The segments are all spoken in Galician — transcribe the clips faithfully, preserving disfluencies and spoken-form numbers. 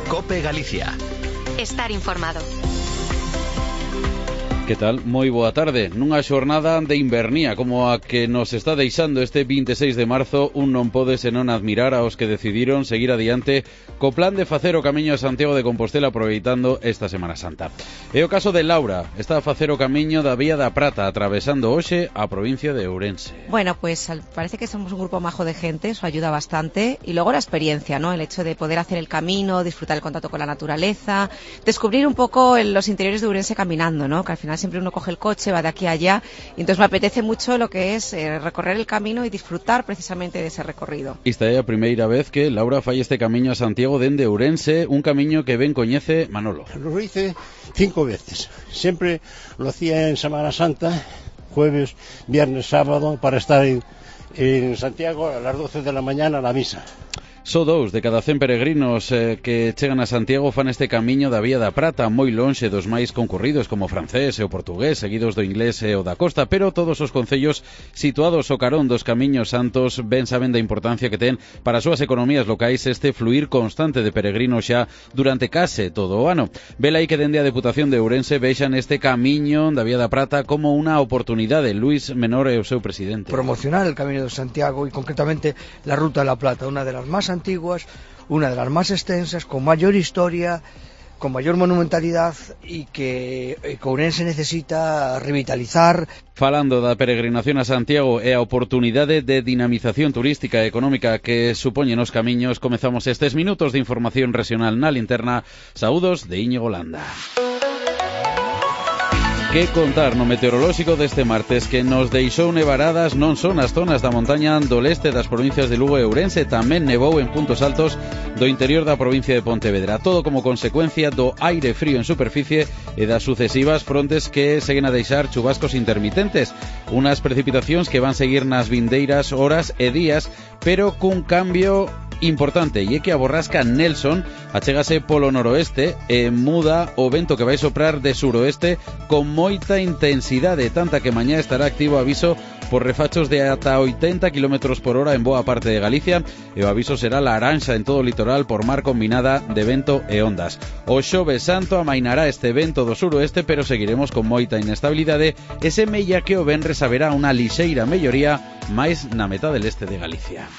COPE Galicia. Estar informado. Que tal? Moi boa tarde. Nunha xornada de invernía como a que nos está deixando este veintiséis de marzo, un non pode senón admirar aos que decidiron seguir adiante co plan de facer o camiño a Santiago de Compostela aproveitando esta Semana Santa. É o caso de Laura, está a facer o camiño da Vía da Prata, atravesando hoxe a provincia de Ourense. Bueno, pues parece que somos un grupo majo de gente, eso ayuda bastante, y luego la experiencia, ¿no? El hecho de poder hacer el camino, disfrutar el contacto con la naturaleza, descubrir un poco los interiores de Ourense caminando, ¿no? Que al final siempre uno coge el coche, va de aquí a allá, y entonces me apetece mucho lo que es eh, recorrer el camino y disfrutar precisamente de ese recorrido. Esta é a primeira vez que Laura fai este camiño a Santiago dende Ourense, un camiño que ben coñece Manolo. Lo hice cinco veces, siempre lo hacía en Semana Santa, jueves, viernes, sábado, para estar en, en Santiago a las doce de la mañana a la misa. Só dous de cada cen peregrinos eh, que chegan a Santiago fan este camiño da Vía da Prata, moi lonxe dos máis concurridos como o francés e o portugués, seguidos do inglés e o da costa, pero todos os concellos situados ao carón dos camiños santos ben saben da importancia que ten para as súas economías locais este fluir constante de peregrinos xa durante case todo o ano. Vela aí que dende a Deputación de Ourense vexan este camiño da Vía da Prata como unha oportunidade. Luis Menor é o seu presidente. Promocionar el Camino de Santiago y concretamente la Ruta de la Plata, una de las más antiguas, una de las más extensas, con mayor historia, con mayor monumentalidad y que Ourense necesita revitalizar. Falando da peregrinación a Santiago e a oportunidade de dinamización turística e económica que supoñen os camiños, comezamos estes minutos de información regional na linterna. Saúdos de Íñigo Landa. Que contar no meteorolóxico deste martes que nos deixou nevaradas non son as zonas da montaña do leste das provincias de Lugo e Ourense, tamén nevou en puntos altos do interior da provincia de Pontevedra, todo como consecuencia do aire frío en superficie e das sucesivas frontes que seguen a deixar chubascos intermitentes, unas precipitacións que van seguir nas vindeiras horas e días, pero cun cambio importante, e é que a borrasca Nelson achégase polo noroeste e muda o vento que vai soprar de suroeste con moita intensidade, tanta que mañá estará activo aviso por refachos de ata oitenta kilómetros por hora en boa parte de Galicia, e o aviso será laranxa en todo o litoral por mar combinada de vento e ondas. O xoves santo amainará este vento do suroeste, pero seguiremos con moita inestabilidade e semella que o venres haberá unha lixeira melloría máis na metade leste de Galicia.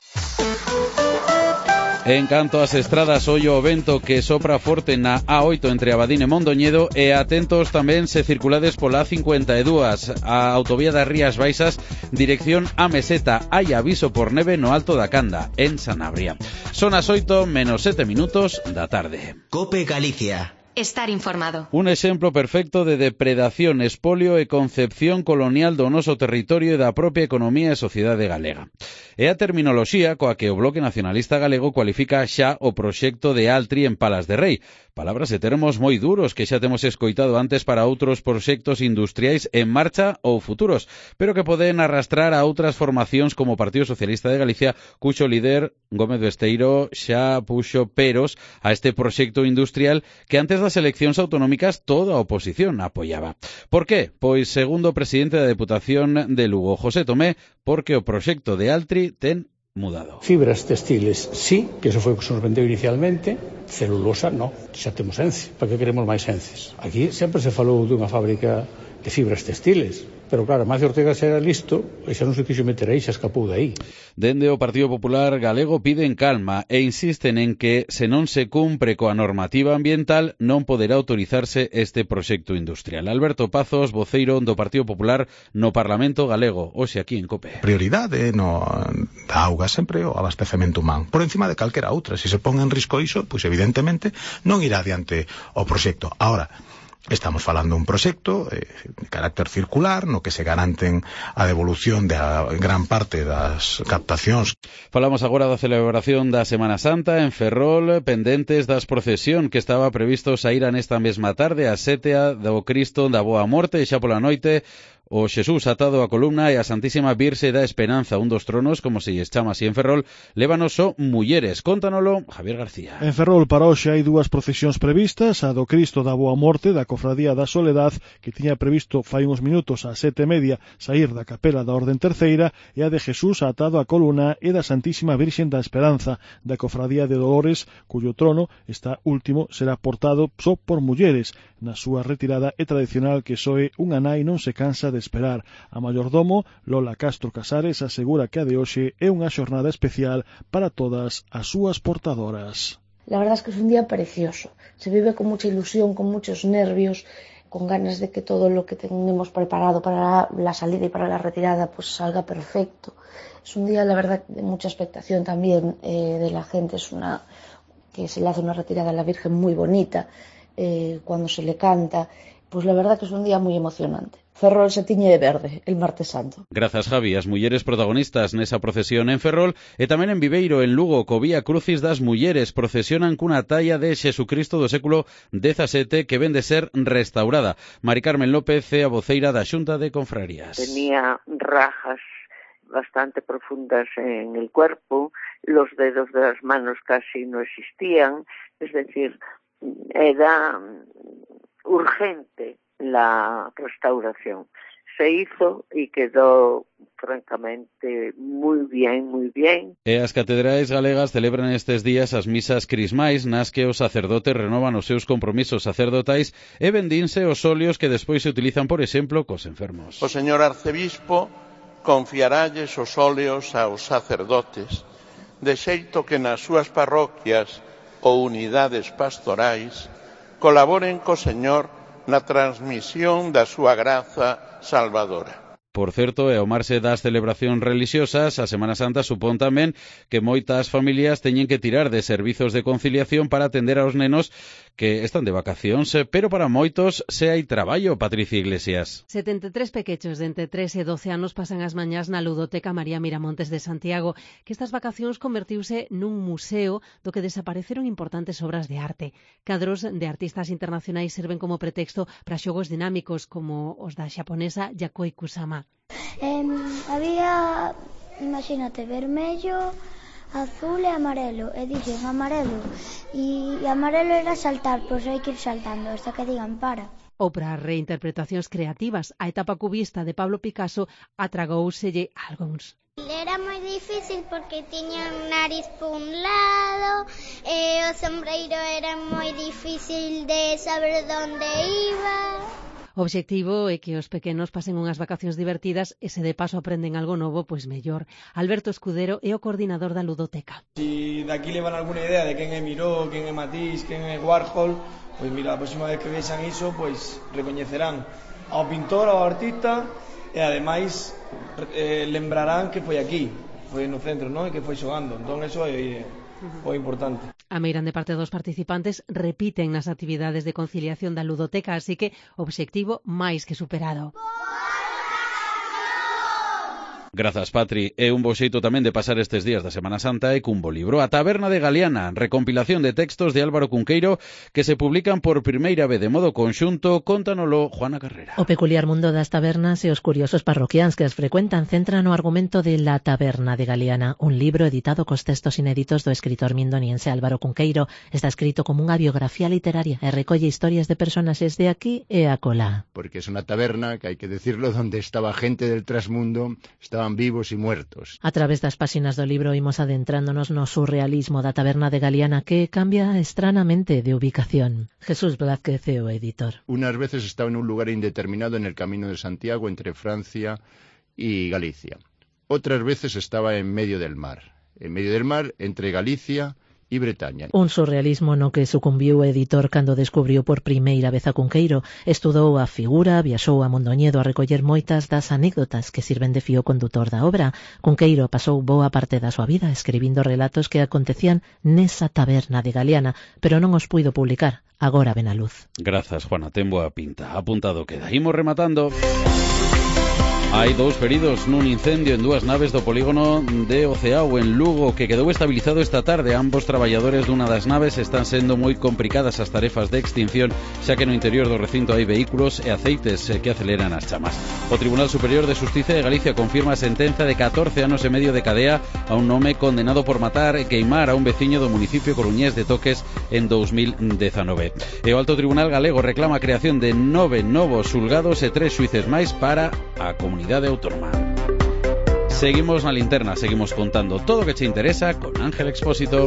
En canto ás estradas, ollo o vento que sopra forte na A oito entre Abadín e Mondoñedo, e atentos tamén se circulades pola A cincuenta e dúas, a autovía das Rías Baixas, dirección a Meseta. Hai aviso por neve no Alto da Canda, en Sanabria. Son as oito menos sete minutos da tarde. COPE Galicia. Estar informado. Un exemplo perfecto de depredación, espolio e concepción colonial do noso territorio e da propia economía e sociedade galega. É a terminoloxía coa que o Bloque Nacionalista Galego cualifica xa o proxecto de Altri en Palas de Rei. Palabras e termos moi duros que xa temos escoitado antes para outros proxectos industriais en marcha ou futuros, pero que poden arrastrar a outras formacións como o Partido Socialista de Galicia, cuxo líder Gómez Besteiro xa puxo peros a este proxecto industrial que antes das eleccións autonómicas toda a oposición apoiaba. Por qué? Pois segundo o presidente da Deputación de Lugo, José Tomé, porque o proxecto de Altri ten mudado. Fibras textiles, sí, que eso foi o que se nos vendeu inicialmente. Celulosa, no, xa temos Ence. Para que queremos máis Ences? Aquí sempre se falou dunha fábrica de fibras textiles, pero claro, Macio Ortega xa era listo e xa non se quixo meter aí, xa escapou de aí. Dende o Partido Popular Galego piden calma e insisten en que se non se cumpre coa normativa ambiental non poderá autorizarse este proxecto industrial. Alberto Pazos, voceiro do Partido Popular no Parlamento Galego, hoxe aquí en COPE. Prioridade no da auga sempre o abastecemento humano, por encima de calquera outra. Se se pon en risco iso, pois evidentemente non irá adiante o proxecto. Ahora, estamos falando un proxecto eh, de carácter circular no que se garanten a devolución de a gran parte das captacións. Falamos agora da celebración da Semana Santa en Ferrol, pendentes das procesión que estaba previsto saíra nesta mesma tarde a sete do Cristo da Boa Morte, e xa pola noite O Xesús atado a columna e a Santísima Virxe da Esperanza, un dos tronos, como se lles chama así en Ferrol, lévanos o mulleres. Cóntanolo Javier García. En Ferrol para hoxe hai dúas procesións previstas, a do Cristo da Boa Morte da Cofradía da Soledad, que tiña previsto fai uns minutos a sete e media saír da capela da Orden Terceira, e a de Xesús atado a columna e da Santísima Virxe da Esperanza da Cofradía de Dolores, cuyo trono, esta último, será portado só por mulleres. Na súa retirada é tradicional que soe unha nai non se cansa de esperar. A mayordomo, Lola Castro Casares, asegura que a de hoxe é unha xornada especial para todas as súas portadoras. La verdad es que es un día precioso. Se vive con mucha ilusión, con muchos nervios, con ganas de que todo lo que tenemos preparado para la salida y para la retirada pues salga perfecto. Es un día, la verdad, de mucha expectación también eh, de la gente. Es una que se le hace una retirada a la Virgen muy bonita. Eh, cuando se le canta, pues la verdad que es un día muy emocionante. Ferrol se tiñe de verde el martes santo. Grazas, Javi. As mulleres protagonistas nesa procesión en Ferrol e tamén en Viveiro, en Lugo, co Vía Crucis das mulleres procesionan cunha talla de Xesucristo do século dezasete que ven de ser restaurada. Mari Carmen López é a voceira da Xunta de Confrarías. Tenía rajas bastante profundas en el cuerpo, los dedos de las manos casi no existían, es decir, era urgente la restauración. Se hizo y quedó francamente muy bien, muy bien. E as catedrais galegas celebran estes días as misas crismais nas que os sacerdotes renovan os seus compromisos sacerdotais e vendínse os óleos que despois se utilizan, por exemplo, cos enfermos. O señor arcebispo confiaralles os óleos aos sacerdotes, de xeito que nas súas parroquias ou unidades pastorais colaboren co Señor na transmisión da súa graza salvadora. Por certo, e ao marxe das celebracións religiosas, a Semana Santa supón tamén que moitas familias teñen que tirar de servizos de conciliación para atender aos nenos que están de vacacións, pero para moitos se hai traballo, Patricia Iglesias. setenta e tres pequechos de entre tres e doce anos pasan as mañás na Ludoteca María Miramontes de Santiago, que estas vacacións convertiuse nun museo do que desapareceron importantes obras de arte. Cadros de artistas internacionais serven como pretexto para xogos dinámicos como os da xaponesa Yokoi Kusama. Eh, había, imagínate, vermello, azul e amarelo, e dixen amarelo, e amarelo era saltar, pois hai que ir saltando hasta que digan para. Ou para reinterpretacións creativas, a etapa cubista de Pablo Picasso atragouselle a algúns. Era moi difícil porque tiña un nariz por un lado, e o sombreiro era moi difícil de saber onde iba. O obxectivo é que os pequenos pasen unhas vacacións divertidas e se de paso aprenden algo novo, pois mellor. Alberto Escudero é o coordinador da Ludoteca. Si daqui levan alguna idea de quen é Miró, quen é Matisse, quen é Warhol, pois mira, a próxima vez que vexan iso, pois recoñecerán ao pintor, ao artista e ademais eh, lembrarán que foi aquí, foi no centro, non? E que foi xogando. Entón, eso é o importante. A meirande parte dos participantes repiten nas actividades de conciliación da Ludoteca, así que obxectivo máis que superado. Grazas, Patri. É un bo xeito tamén de pasar estes días da Semana Santa e cun bo libro. A Taberna de Galiana, recompilación de textos de Álvaro Cunqueiro que se publican por primeira vez de modo conxunto. Cóntanolo Juana Carrera. O peculiar mundo das tabernas e os curiosos parroquiáns que as frecuentan centran o argumento de La Taberna de Galiana, un libro editado cos textos inéditos do escritor mindoniense Álvaro Cunqueiro. Está escrito como unha biografía literaria e recolle historias de personaxes de aquí e acolá. Porque es unha taberna, que hai que decirlo, donde estaba gente del trasmundo, estaban vivos e muertos. A través das páxinas do libro imos adentrándonos no surrealismo da Taberna de Galiana, que cambia estranamente de ubicación. Jesús Blázquez é o editor. Unas veces estaba en un lugar indeterminado en el Camino de Santiago entre Francia y Galicia. Otras veces estaba en medio del mar, en medio del mar entre Galicia e Bretaña. Un surrealismo no que sucumbiu o editor cando descubriu por primeira vez a Cunqueiro. Estudou a figura, viaxou a Mondoñedo a recoller moitas das anécdotas que sirven de fío condutor da obra. Cunqueiro pasou boa parte da súa vida escribindo relatos que acontecían nesa taberna de Galiana, pero non os puido publicar. Agora ven a luz. Grazas, Juana, ten boa pinta. Apuntado queda. Imos rematando. Hai dous feridos nun incendio en dúas naves do polígono de Oceao en Lugo que quedou estabilizado esta tarde. Ambos traballadores dunha das naves están sendo moi complicadas as tarefas de extinción, xa que no interior do recinto hai vehículos e aceites que aceleran as chamas. O Tribunal Superior de Xustiza de Galicia confirma a sentenza de catorce anos e medio de cadea a un home condenado por matar e queimar a un veciño do municipio coruñés de Toques en dous mil dezanove. E o Alto Tribunal Galego reclama a creación de nove novos xulgados e tres xuíces máis para a comunidade autónoma. Seguimos na linterna, seguimos contando todo o que che interesa con Ángel Expósito.